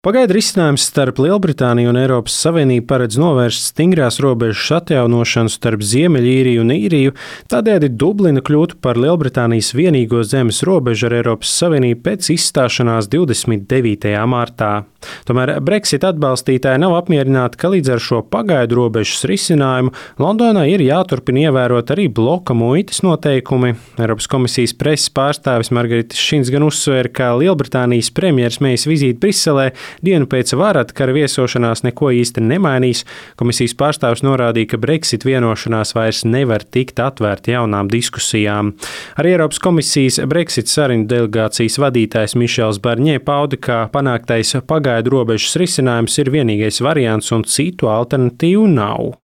Pagaidu risinājums starp Lielbritāniju un Eiropas Savienību paredz novērst stingrās robežas atjaunošanu starp Ziemeļīriju un Īriju, tādējādi Dublina kļūtu par Lielbritānijas vienīgo zemes robežu ar Eiropas Savienību pēc izstāšanās 29. martā. Tomēr Brexit atbalstītāji nav apmierināti, ka līdz ar šo pagaidu robežas risinājumu Londonai ir jāturpina ievērot arī bloka muitas noteikumi. Eiropas komisijas preses pārstāvis Margaritis Šins gan uzsvēra, ka Lielbritānijas premjeras Mejas vizīte Briselē dienu pēc varadkara viesošanās neko īsti nemainīs. Komisijas pārstāvis norādīja, ka Brexit vienošanās vairs nevar tikt atvērta jaunām diskusijām. Arī Eiropas komisijas Brexit sarunu delegācijas vadītājs Mišels Barņē pauda, ka panāktais pagaidu robežas risinājums ir vienīgais variants un citu alternatīvu nav.